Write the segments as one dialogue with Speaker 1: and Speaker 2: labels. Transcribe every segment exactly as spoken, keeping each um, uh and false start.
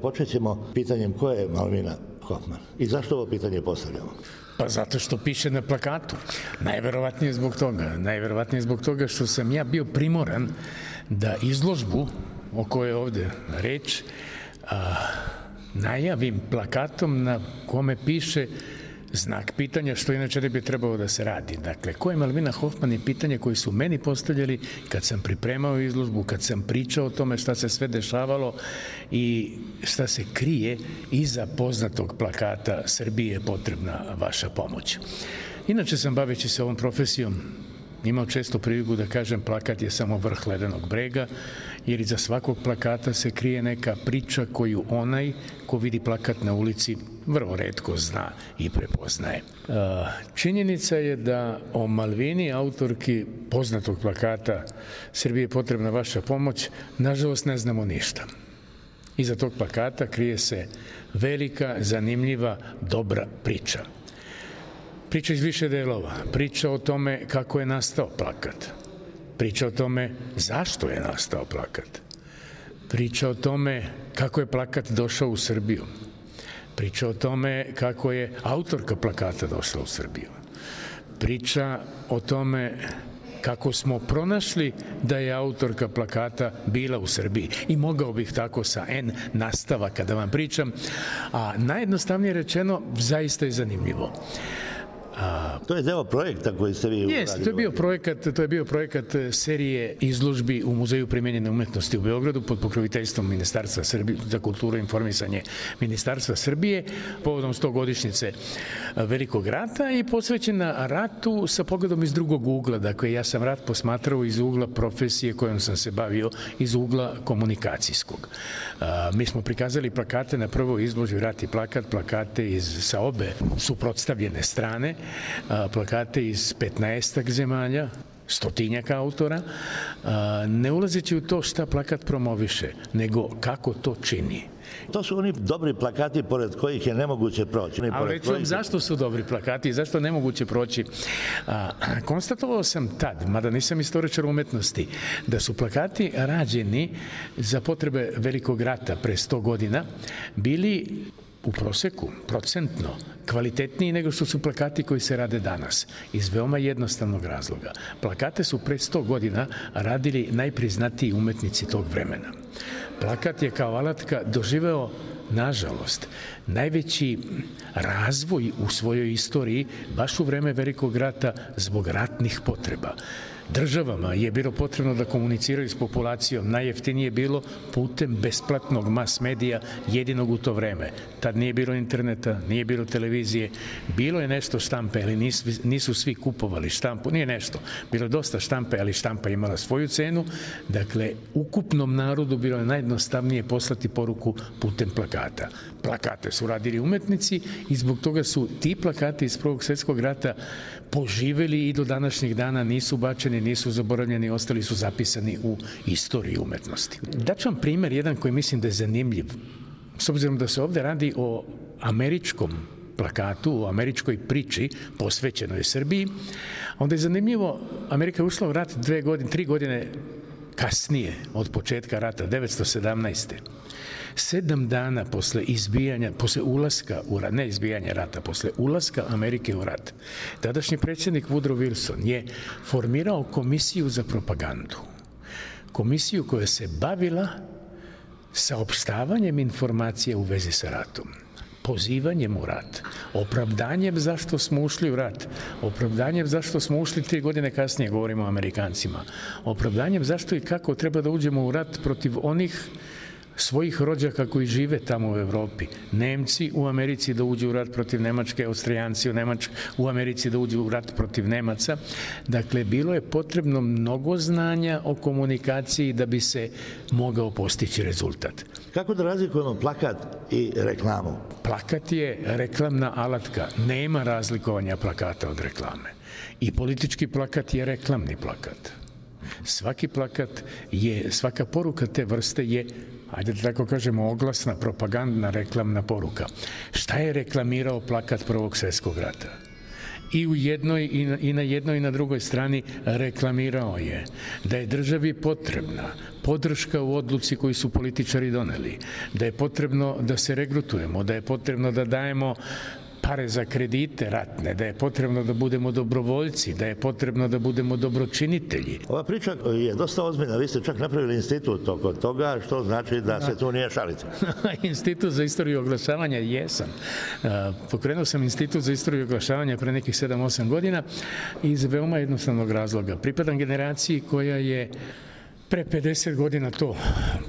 Speaker 1: Počet ćemo pitanjem ko je Malvina Hofman i zašto ovo pitanje postavljamo?
Speaker 2: Pa zato što piše na plakatu. Najverovatnije zbog toga. Najverovatnije zbog toga što sam ja bio primoran da izložbu o kojoj je ovde reč a, najavim plakatom na kome piše znak pitanja, što inače ne bi trebalo da se radi. Dakle, ko je Malvina Hofman je pitanje koje su meni postavljali kad sam pripremao izložbu, kad sam pričao o tome šta se sve dešavalo i šta se krije iza poznatog plakata Srbije je potrebna vaša pomoć. Inače sam, baveći se ovom profesijom, imao često priliku da kažem plakat je samo vrh ledenog brega, jer iza svakog plakata se krije neka priča koju onaj ko vidi plakat na ulici vrlo retko zna i prepoznaje. Činjenica je da o Malvini, autorki poznatog plakata Srbije je potrebna vaša pomoć, nažalost ne znamo ništa. Iza tog plakata krije se velika, zanimljiva, dobra priča. Priča iz više delova, priča o tome kako je nastao plakat, priča o tome zašto je nastao plakat, priča o tome kako je plakat došao u Srbiju, priča o tome kako je autorka plakata došla u Srbiju, priča o tome kako smo pronašli da je autorka plakata bila u Srbiji. I mogao bih tako sa N nastavaka da vam pričam, a najjednostavnije rečeno zaista je zanimljivo.
Speaker 1: A, to je deo projekta koji ste vi uradili.
Speaker 2: Jeste, to je bio projekat, to je bio projekat serije izložbi u Muzeju primenjene umetnosti u Beogradu pod pokroviteljstvom Ministarstva Srbije za kulturu i informisanje Ministarstva Srbije povodom stogodišnjice Velikog rata i posvećena ratu sa pogledom iz drugog ugla. Dakle, ja sam rat posmatrao iz ugla profesije kojom sam se bavio, iz ugla komunikacijskog. A, mi smo prikazali plakate na prvoj izložbi Rat i plakat, plakate iz, sa obe suprotstavljene strane, plakate iz petnaestak zemalja, stotinjak autora, ne ulazeći u to šta plakat promoviše, nego kako to čini.
Speaker 1: To su oni dobri plakati pored kojih je nemoguće proći.
Speaker 2: Ali reći vam zašto su dobri plakati i zašto nemoguće proći. A, konstatovao sam tad, mada nisam istoričar umetnosti, da su plakati rađeni za potrebe Velikog rata pre sto godina bili u proseku, procentno, kvalitetniji nego što su plakati koji se rade danas. Iz veoma jednostavnog razloga. Plakate su pre sto godina radili najpriznatiji umetnici tog vremena. Plakat je kao alatka doživeo, nažalost, najveći razvoj u svojoj istoriji baš u vreme Velikog rata zbog ratnih potreba. Državama je bilo potrebno da komuniciraju s populacijom. Najjeftinije je bilo putem besplatnog mas medija jedinog u to vreme. Tad nije bilo interneta, nije bilo televizije, bilo je nešto štampe, ali nisu, nisu svi kupovali štampu, nije nešto. Bilo je dosta štampe, ali štampa imala svoju cenu. Dakle, ukupnom narodu bilo je najjednostavnije poslati poruku putem plakata. Plakate su radili umetnici i zbog toga su ti plakati iz Prvog svjetskog rata poživeli i do današnjih dana nisu bačeni, nisu zaboravljeni, ostali su zapisani u istoriji umetnosti. Daću vam primer, jedan koji mislim da je zanimljiv. S obzirom da se ovde radi o američkom plakatu, o američkoj priči posvećenoj Srbiji, onda je zanimljivo, Amerika je ušla u rat dve godine, tri godine kasnije od početka rata, devetsto sedamnaeste. Sedam dana posle izbijanja, posle ulaska u rat, ne izbijanja rata, posle ulaska Amerike u rat, tadašnji predsjednik Woodrow Wilson je formirao komisiju za propagandu. Komisiju koja se bavila saopštavanjem informacija u vezi sa ratom, pozivanjem u rat, opravdanjem zašto smo ušli u rat, opravdanjem zašto smo ušli tri godine kasnije, govorimo o Amerikancima, opravdanjem zašto i kako treba da uđemo u rat protiv onih svojih rođaka koji žive tamo u Evropi. Nemci u Americi da uđu u rat protiv Nemačke, Austrijanci u, Nemačk, u Americi da uđu u rat protiv Nemaca. Dakle, bilo je potrebno mnogo znanja o komunikaciji da bi se mogao postići rezultat.
Speaker 1: Kako da razlikujemo plakat i reklamu?
Speaker 2: Plakat je reklamna alatka. Nema razlikovanja plakata od reklame. I politički plakat je reklamni plakat. Svaki plakat je, svaka poruka te vrste je, ajde da tako kažemo, oglasna, propagandna, reklamna poruka. Šta je reklamirao plakat Prvog svjetskog rata? i u jednoj i na, i na jednoj i na drugoj strani reklamirao je da je državi potrebna podrška u odluci koju su političari doneli, da je potrebno da se regrutujemo, da je potrebno da dajemo pare za kredite ratne, da je potrebno da budemo dobrovoljci, da je potrebno da budemo dobročinitelji.
Speaker 1: Ova priča je dosta ozbiljna. Vi ste čak napravili institut oko toga, što znači da se tu nije šalite.
Speaker 2: Institut za istoriju oglašavanja jesam. Pokrenuo sam Institut za istoriju oglašavanja pre nekih sedam osam godina iz veoma jednostavnog razloga. Pripadam generaciji koja je pre pedeset godina to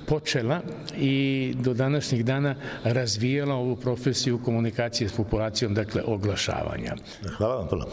Speaker 2: počela i do današnjih dana razvijala ovu profesiju komunikacije s populacijom, dakle oglašavanja.
Speaker 1: Hvala vam puno.